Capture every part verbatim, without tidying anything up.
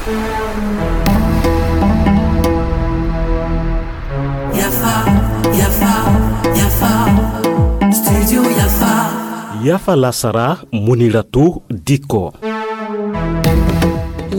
Yafa, yafa, yafa. Studio Yafa. Yafa lasara, Muniratu Diko.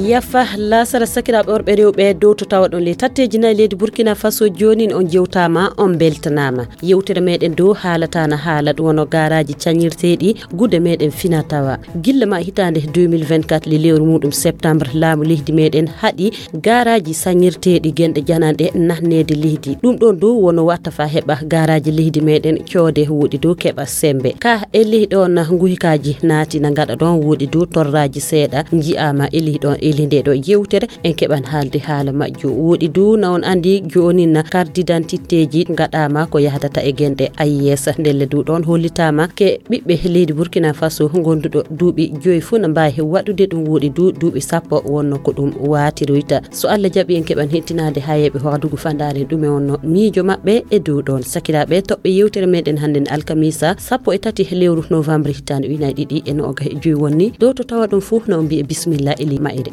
Yafa lasara, sakiraaɓe worɓe rewɓe, dow to tawa ɗon le tatteji nayi leydi Burkina Faso, joonin on jewtaama, on beltanaama. Yewtere meɗen dow haalata na haala ɗum wono gaaraaji cañirteeɗi gude meɗen fina tawa. Gilla ma hitaande deux mille vingt-quatre, le lewru muɗum septembre, laamu leydi meɗen haɗi gaaraaji sañirteeɗi genɗe jananɗe nahneede leydi. Ɗum ɗon dow wono watta fa heɓa gaaraaji leydi meɗen coode woɗi dow keɓa sembe. Ka e ley ɗon nguhikaaji naati na ngaɗa ɗon woɗi dow torraaji seeɗa nji'aama e ley ɗon e ley nde ɗo yewtere. En keɓan haalde haala majjum. Woɗi du na on anndi joonin na carte d'identité ji ngaɗaama ko yahdata e genɗe A I S. Ndelle du ɗon hollitaama ke ɓiɓɓe leydi Burkina Faso gonduɗo duuɓi joyi fuu na mbaawi waɗude ɗum. Woɗi du duuɓi sappo wonno ko ɗum waatiroyta. So Allah jaɓi en keɓan hettinaade hayeeɓe hoɗugo fandaare ɗume wonno miijo maɓɓe e dow ɗon. Sakiraaɓe toɓɓe yewtere meɗen hannden alkamisa sappo e tati lewru novembre hitaande ujunaaji ɗiɗi e noogas e joyi wonni. Dow to tawa ɗum fuu na on mbi'e bismillah e ley mayre.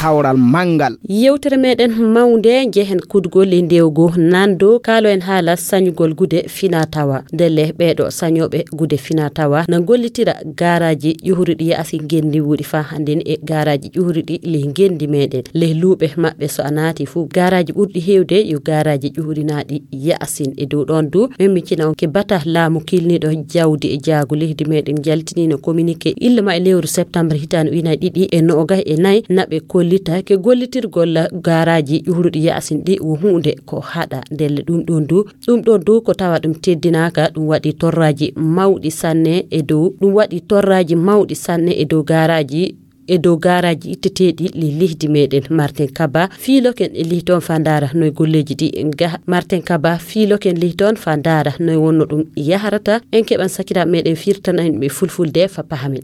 Kawral manngal. Yewtere meɗen mawnde njehen kudgol e ndewgo nando kaalo en haala sañugol gude fina tawa. Ndelle ɓeeɗo sañooɓe gude fina tawa na gollitira gaaraaji ƴuhruɗi ya'asi ngenndi wuuɗi fa hannden e gaaraaji ƴuhruɗi ley ngenndi meɗen. Ley luuɓe maɓɓe so a naati fuu gaaraaji ɓurɗi heewde yo gaaraaji ƴuhrinaaɗi ya'asin. E dow ɗon du, men miccina on ke bata laamu kilniiɗo jawdi e jaagu leydi meɗen jaltiniino communiqué illa ma e lewru septembre hitaande ujunaaji ɗiɗi e noogas e nayi, na ɓe kollita ke gollitirgol gaaraaji ƴuhruɗi ya'asin ɗi wo huunde ko haɗa. Ndelle ɗum ɗon du, ɗum ɗon du ko tawa ɗum teddinaaka, ɗum waɗi torraaji mawɗi sanne e dow, ɗum waɗi torraaji mawɗi sanne e dow gaaraaji e dow gaaraaji itteteeɗi ley leydi meɗen. Martin Kaba fiiloken e ley toon fa ndaara noy golleeji ɗi ngaha. Martin Kaba fiiloken ley toon fa ndaara noy wonno ɗum yahrata. En keɓan sakiraaɓe meɗen firtana en ɓe fulfulde fa pahamen.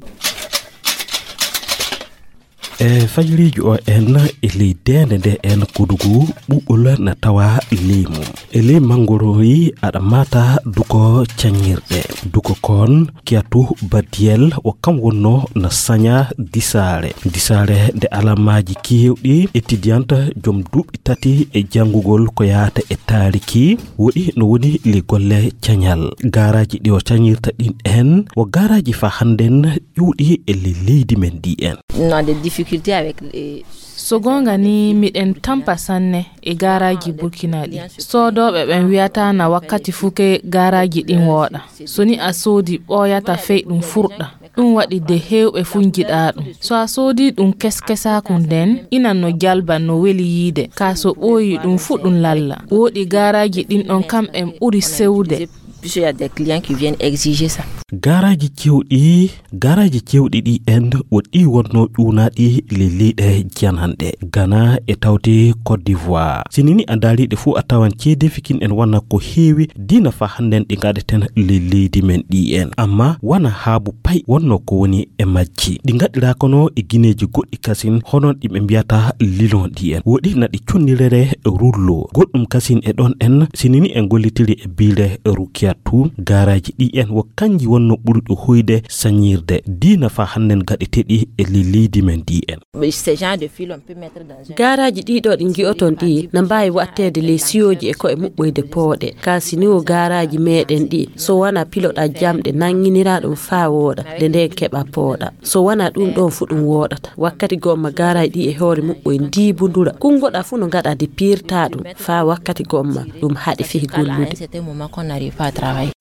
E fajiriiji o en e ley deende nde en kudugu ɓuɓɓol na tawa ley mum. E ley manngorooyi aɗa maata duko cañirɗe. Duko kon Kiyatu Badiyel o kam wonno na saña disaare. Disaare nde alamaaji keewɗi étudiante jom duuɓi tati e janngugol ko yaata e taariki woɗi no woni le golle cañal. Gaaraaji ɗi o cañirta ɗin en wo gaaraaji fa hannden ƴuuɗi e le leydi men ndi en. On a des difficultés avec les So goonga ni, miɗen tampa sanne e gaaraaji Burkina ɗi. Soodooɓe ɓen wi'ata na wakkati fuu ke gaaraaji ɗin wooɗa. So ni a soodi ɓooyata fey ɗum furɗa. Ɗum waɗi de heewɓe fuu njiɗaa ɗum. So a soodi ɗum keskesaaku nden, inan no jalba no weli yiide. Kaa so ɓooyi ɗum fuu ɗum lalla. Wooɗi gaaraaji ɗin ɗon kam en ɓuri sewde. Puisqu'il y a des clients qui viennent exiger ça. Gaaraaji cewɗi, gaaraaji cewɗi ɗi en wo ɗi wonno ƴuunaaɗi le leyɗe jananɗe. Ghana e tawde Côte d'Ivoire. Si ni ni a ndaari ɗe fuu a tawan ceedeefi kin en wona ko heewi diina fa hannden ɗi ngaɗeten le leydi men ɗi en. Amma wona haabu pay wonno ko woni e majji. Ɗi ngaɗiraa kono e gineeji goɗɗi kasin hono ɗi ɓe mbiyata lilon ɗi en. Woɗi na ɗi connirere rullo. Goɗɗum kasin e ɗon en si ni ni en gollitiri e biire Rukiyatu. Gaaraaji ɗi en wo kanji wonno ɓurɗo hoyde sañirde diina fa hannden gaɗeteeɗi e le leydi men ɗi en. Mais ce genre de fil, on peut mettre dans un Gaaraaji ɗiɗo ɗi ngi'oton ɗi na mbaawi waɗteede ley siyooji e ko'e muɓɓoyde pooɗe. Kaa si ni wo gaaraaji meɗen ɗi, so wona piloɗa jamɗe nannginiraa ɗum faa wooɗa, nde nden keɓa pooɗa. So wona ɗum ɗon fu ɗum wooɗata. Wakkati gomma gaaraaji ɗi e hoore muɓɓoy ndiibundura. Kunngoɗa fu no ngaɗa de piirta ɗum faa wakkati gomma ɗum haɗi fih gollude.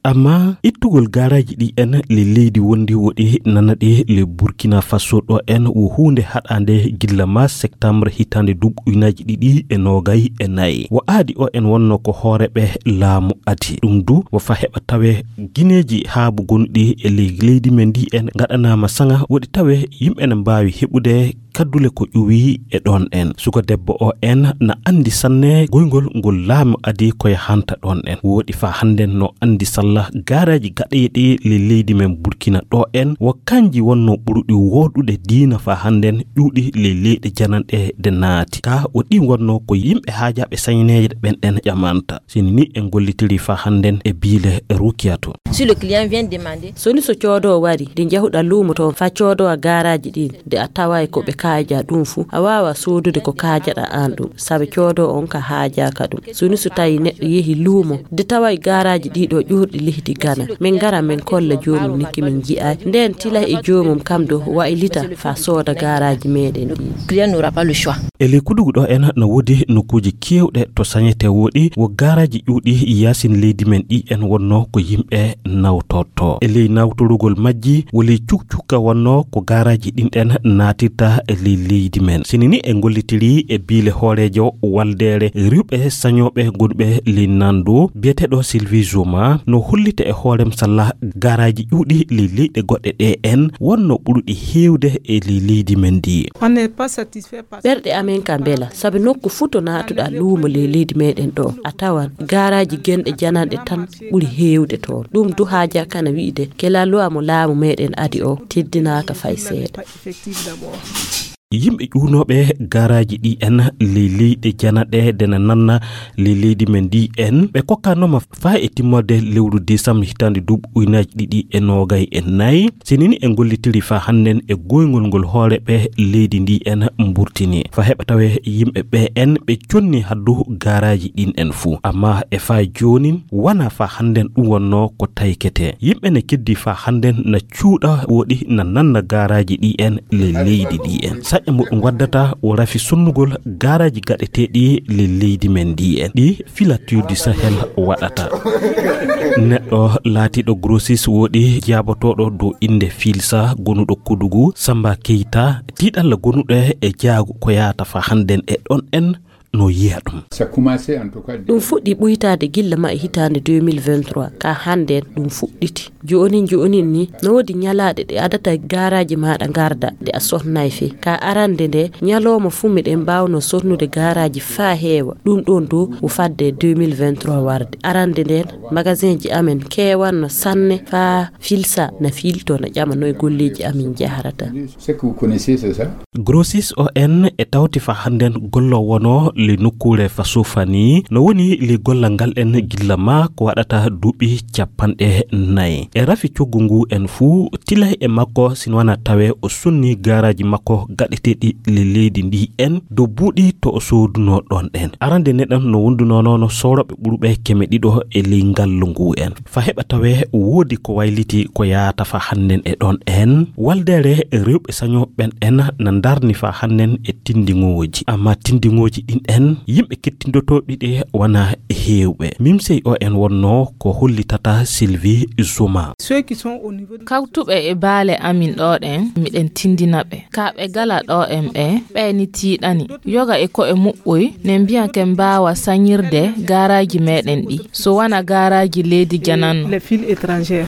Amma ittugol gaaraaji ɗi en le leydi wondi woɗi nanaɗi le Burkina Faso ɗo en wo huunde haɗaande gilla ma septembre hitaande duuɓi ujunaaji ɗiɗi e noogay e nayi. Wo aadi o en wonno ko hooreeɓe laamu adi. Ɗum du wo fa heɓa tawe gineeji haabu gonɗi e ley leydi men ndi en ngaɗanaama saŋa woɗi tawe yimɓe ne mbaawi heɓude kaddule ko ƴuwi e ɗon en. Suka debbo o en na anndi sanne goyngol ngol laamu adi ko yahanta ɗon en. Woɗi fa hannden no anndi salla gaaraaji gaɗeeɗi le leydi men Burkina ɗo en wo kanji wonno ɓurɗi wooɗude diina fa hannden ƴuuɗi le leyɗe jananɗe de naati. Ka wo ɗi wonno ko yimɓe haajaaɓe sañneeje ɓen en ƴamanta. Si ni en gollitiri fa hannden e biile Rukiya to. Si le client vient demander. So ni so coodo wari, de njahuɗa luumo to fa coodo gaaraaji ɗin, de a taway ko ɓe haajaa ɗum fuu, a waawaa soodude ko kaajaɗaa aan ɗum, sabi coodoowo on ka haajaaka ɗum. So ni so tawii neɗɗo yehi luumo, de taway gaaraaji ɗii ɗoo ƴuurɗi leydi Gana, min ngara min kolla joomum ni ki min nji'ay. Ndeen tilay e joomum kam dow waylita faa sooda gaaraaji meeɗen ɗii. Client n'aura pas le choix. E ley Kudugu ɗo en no woodi nokkuuji keewɗe to sañete woɗi, wo gaaraaji ƴuuɗi yaasin leydi men ɗi en wonnoo ko yimɓe nawtorto. E ley nawtorugol majji, wo ley cukcukka wonnoo ko gaaraaji ɗin ɗen naatirta e ley leydi men. Sini ni en gollitirii e biile hooreejo waldeere rewɓe sañooɓe gonɓe ley Nando, biyeteeɗo Sylvie Zoma, no hollita e hoorem salla gaaraaji ƴuuɗi ley leyɗe goɗɗe ɗe en wonno ɓurɗi heewde e ley leydi men ndi. On n'est pas satisfait. Ɓerɗe amen ka mbela, sabi nokku fuu to naatuɗaa luumo ley leydi meɗen ɗo, a tawan gaaraaji genɗe jananɗe tan ɓuri heewde toon. Ɗum du haajaa kana wi'de, ke la loi mo laamu meɗen adi o teddinaaka fay seeɗa. Yimɓe ƴuwnooɓe gaaraaji ɗi en ley leyɗe janaɗe de na nanna ley leydi men ndi en, ɓe kokkanooma faa e timmorde lewru décembre hitaande duuɓi ujunaaji ɗiɗi e noogay e nayi. Sinini en gollitiri faa hannden e goyngol ngol hooreeɓe leydi ndi en mburtini. Faa heɓa tawee yimɓe ɓe en ɓe conni haddu gaaraaji ɗin en fuu. Amma e faa joonin, wanaa faa hannden ɗum wonnoo ko taykete. Yimɓe ne keddi faa hannden na cuuɗa woɗi na nanna gaaraaji ɗi en le leydi ndi en. Saƴƴa mo ɗum waddata o rafi sonnugol gaaraaji gaɗeteeɗi le leydi men ndi en. Ɗi Filature du Sahel waɗata. Neɗɗo laatiiɗo grossiste woɗi jaabotooɗo dow innde Filsa gonuɗo Kudugu, Samba Keita, tiiɗalla gonuɗo e jaago ko yaata faa hannden e ɗon en no yiya ɗum. Ɗum fuɗɗi ɓuytaade gilla ma e hitaande deux mille vingt-trois, ka hannden ɗum fuɗɗiti. Joonin joonin ni, no woodi ñalaaɗe ɗe adata gaaraaji maaɗa ngarda ɗe a sonnay fey. Ka arande nde, ñalooma fuu miɗen mbaawno sonnude gaaraaji faa heewa. Ɗum ɗoon dow o fadde deux mille vingt-trois warde. Arande nden, magasinji amen keewanno sanne faa Filsa na fiilto na ƴama noy golleeji amin njahrata. Grossiste O N e tawti faa hannden gollo wono le nokkuure faa Sofani, no woni le gollal ngal en gilla ma ko waɗata duuɓi capanɗe nayi. E rafi coggu ngu en fuu, tilay e makko, sino wanaa tawee o sonni gaaraaji makko gaɗeteeɗi le leydi ndi en, dow buuɗi to o soodunoo ɗon ɗen. Arande neɗɗan no wondunoo no soorooɓe ɓurɓe keme ɗiɗo e ley ngallu ngu en. Faa heɓa tawee woodi ko wayliti ko yaata faa hannden e ɗon en. Waldeere rewɓe sañooɓe ɓen en na ndarni faa hannden e tindiŋooji. Amma tindiŋooji ɗin en, yimɓe kettindotooɓe ɗi wanaa e heewɓe. Mimsey O N wonnoo ko hollitata Sylvie Zuma. Kawtuɓe e baale amin ɗo ɗen, miɗen tindina ɓe. Ka ɓe gala ɗo en ɓe, ɓe ni tiiɗani. Yoga e ko'e muɓɓoy, ne mbiya ke mbaawa sañirde gaaraaji meɗen ɗi. So wana gaaraaji leydi jananno.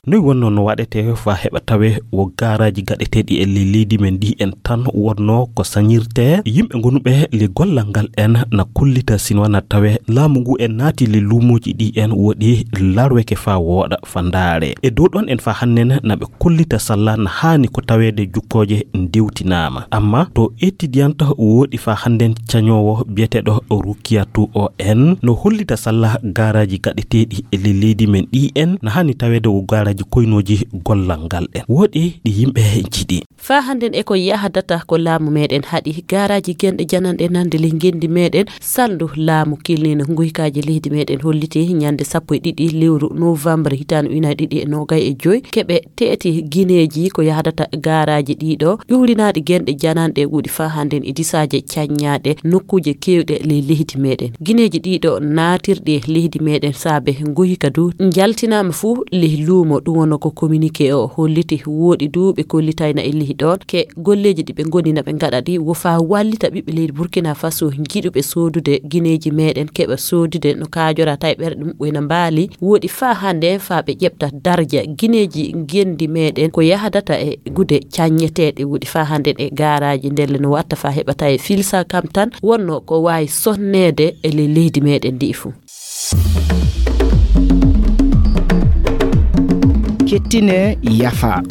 Noy wonnoo no waɗetee faa heɓa tawee wo gaaraaji gaɗeteeɗi e ley leydi men ndi en tan wonnoo ko sañirtee? Yimɓe gonuɓe le gollal ngal en na kollita sino wanaa tawee laamu ngu en naati le luumooji ɗi en woɗi larweke faa wooɗa faa ndaare. E dow ɗon en faa hannden na ɓe kollita salla na haani ko taweede jukkooje ndewtinaama. Amma to étudiante woɗi faa hannden cañoowo biyeteeɗo Rukiyatu O N no hollita salla gaaraaji gaɗeteeɗi e le leydi men ɗi en na haani taweede wo gaaraaji koynooji gollal ngal en. Woɗi ɗi yimɓe njiɗi. Faa hannden e ko yahdata ko laamu meɗen haɗi gaaraaji genɗe jananɗe nande le ngenndi meɗen salndu laamu kilniino nguykaji leydi meɗen holliti ñande sappo e ɗiɗi lewru novembre hitaande ujunaaji ɗiɗi e noogay e joy keɓe teeti gineeji ko yahdata gaaraaji ɗiɗo ƴuurinaaɗi genɗe jananɗe wuɗi faa hannden e disaaje caññaaɗe nokkuuje keewɗe ley leydi meɗen. Gineeji ɗiɗo naatirɗi e leydi meɗen saabe nguyka du njaltinaama fuu ley luumo ɗum wonno ko communiqué o holliti woɗi du ɓe kollitayna e ley ɗon ke golleeji ɗi ɓe ngoni na ɓe ngaɗa ɗi wo faa wallita ɓiɓɓe leydi Burkina Faso njiɗuɓe soodude gineeji meɗen keɓa soodude no kaajora tawi ɓerɗe muɓɓoy na mbaali woɗi faa hannden faa ɓe ƴeɓta darja gineeji ngenndi meɗen ko yahdata e gude caññeteeɗe woɗi faa hannden e gaaraaji ndelle no watta faa heɓa tawi Filsa kam tan wonno ko waawi sonneede e ley leydi meɗen ndi fuu. Kettine yafa.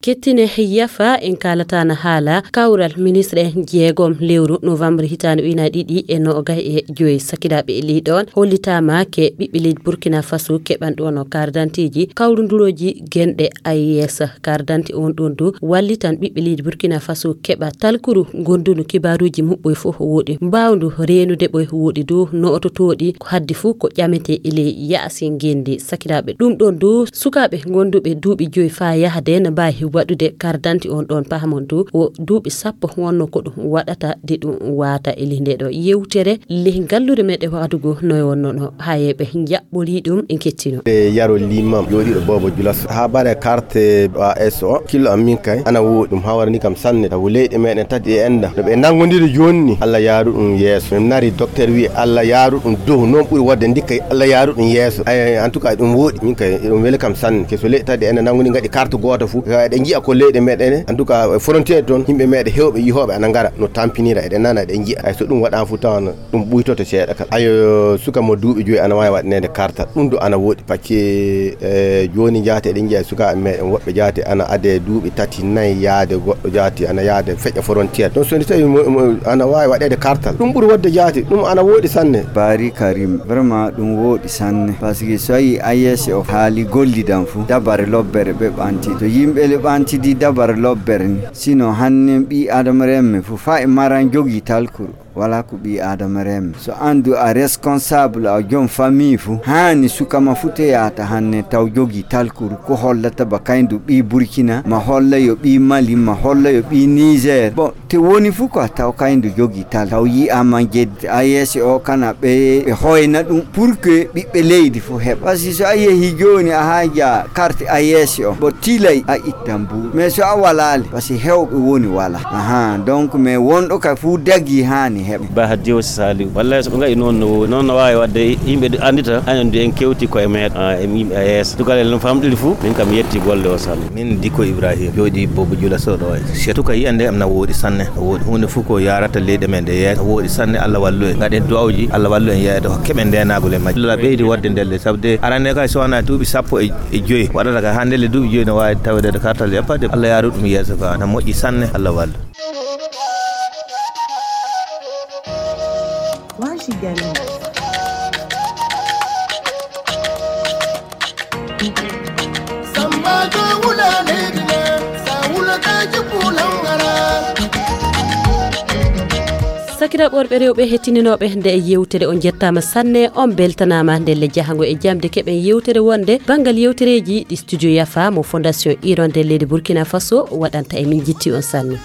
Kettine yafa en kaalataana haala kawral ministre en jeegom lewru novembre hitaande ujunaaji ɗiɗi e noogay e joyi. Sakiraaɓe e leydi on hollitaama ke ɓiɓɓe leydi Burkina Faso keɓan ɗon o carte d'identité ji kawrundurooji genɗe A E S. Carte d'identité on ɗon du wallitan ɓiɓɓe leydi Burkina Faso keɓa talkuru gondunu kibaaruuji muɓɓoy fof wooɗi, mbaawndu reenude ɓoy wooɗi du no ototooɗi ko haddi fof ko ƴamete e ley yaasi ngenndi. Sakiraaɓe ɗum ɗon du sukaaɓe gonduɓe duuɓi joyi faa yahde no mbaawi waɗude carte d'identité on ɗon pahamon du o duuɓi sappo wonno ko ɗum waɗata de ɗum waata e ley nde ɗo yewtere ley ngalluure meɗen waɗugo no wonno no hayeɓe jaɓɓori ɗum en kettino. E yaro limam jooɗiiɗo Boobo Julas. Haa bare carte A S o, killo am min kay, ana wooɗi. Ɗum hawarani kam sanne. Sabu leyɗe meɗen tati e enda. No ɓe nangodiri jooni ni, Allah yaaru ɗum yeeso. Min nari docteur wi Allah yaaru ɗum dow. Noon ɓuri wodde ndikka Allah yaaru ɗum yeeso. Ay, en tout cas, ɗum wooɗi. Min kay, ɗum weli kam sanne. Ke so leyɗe tati e enda nangodi ngaɗi carte gooto fu. Eɗen njiya ko leyɗe meɗen. En tout cas, frontière toon, yimɓe meɗen hewɓe yihooɓe ana ngara. No tampinira, eɗen nana, eɗen njiya. Ay, so ɗum waɗaama fu tawana. Ɗum ɓuytoto seeɗa kala. Ayo, suka mo duuɓi joyi ana waawi waɗaneede kartal. Ɗum du ana wooɗi. Pakke, e, jooni jaati eɗen njiya sukaaɓe meɗen woɓɓe jaati ana ade duuɓi tati, nayi yaade goɗɗo jaati ana yaade feƴƴa frontière. Donc so ndi tawi mo, mo, ana waawi waɗeede kartal. Ɗum ɓuri wodde jaati. Ɗum ana wooɗi sanne. Bari Karim, vraiment ɗum wooɗi sanne. Parce que so a yii A E S o haali gollidan fu, dabare lobbere ɓe ɓanti. To yimɓe le ɓantidi dabare lobbere ni. Sino hannen ɓii Adama remme fu, fa e maran jogii talkuru. Wala ko ɓii Adama remme. So an du a responsable, a joom famille fu, haani suka ma fu te yaata hanne taw jogii talkuru. Ko hollata ba kayndu ɓii Burkina, ma holla yo ɓii Mali, ma holla yo ɓii Niger. Bon, te woni fu ko a taw kayndu jogii tal. Taw yi'ama jeddi A E S o kana ɓe, ɓe hoyna ɗum pour que ɓiɓɓe leydi fu heɓa. Parce que so a yehi jooni a haaja carte A E S o, bo tilay a ittan bu. Mais so a walaali, parce que hewɓe woni wala. Aha, donc mais wonɗo ka fu dagi haani heɓa. Ba Hadji o Saliou. Wallahi so ɓe ngaɗi noon no, noon no waawi waɗde yimɓe andita, hanen du en kewti koye meɗen, ah, e yimɓe A E S. Tukalel no famɗiri fu, min kam yetti golle o sanne. Min Dikko Ibrahim, jooɗi Bobo Jula Soɗo e. Surtout ka yiyande am na wooɗi sanne. No wooɗi huunde fu ko yaarata leyɗe men ɗe yeeso. No wooɗi sanne, Allah wallu en. Ngaɗen du'awji, Allah wallu en yeeyde, hokke men ndeenaagol e majje. Allah ɓeydi waɗde ndelle, sabu de arane kay so wonaa duuɓi sappo e, e joyi. Waɗata kay haa ndelle duuɓi joyi no waawi taweede kartal yaɓɓaade. Allah yaaru ɗum yeeso ka, na moƴƴi sanne, Allah wallu. Washi gari. Sakiraaɓe worɓe rewɓe hettininooɓe nde yewtere, on njettaama sanne, on mbeltanaama ndelle jahango e jamde keɓen yewtere wonde banngal yewtereeji ɗi studio Yafa mo Fondation Hirondelle leydi Burkina Faso waɗanta e min. Njitti on sanne.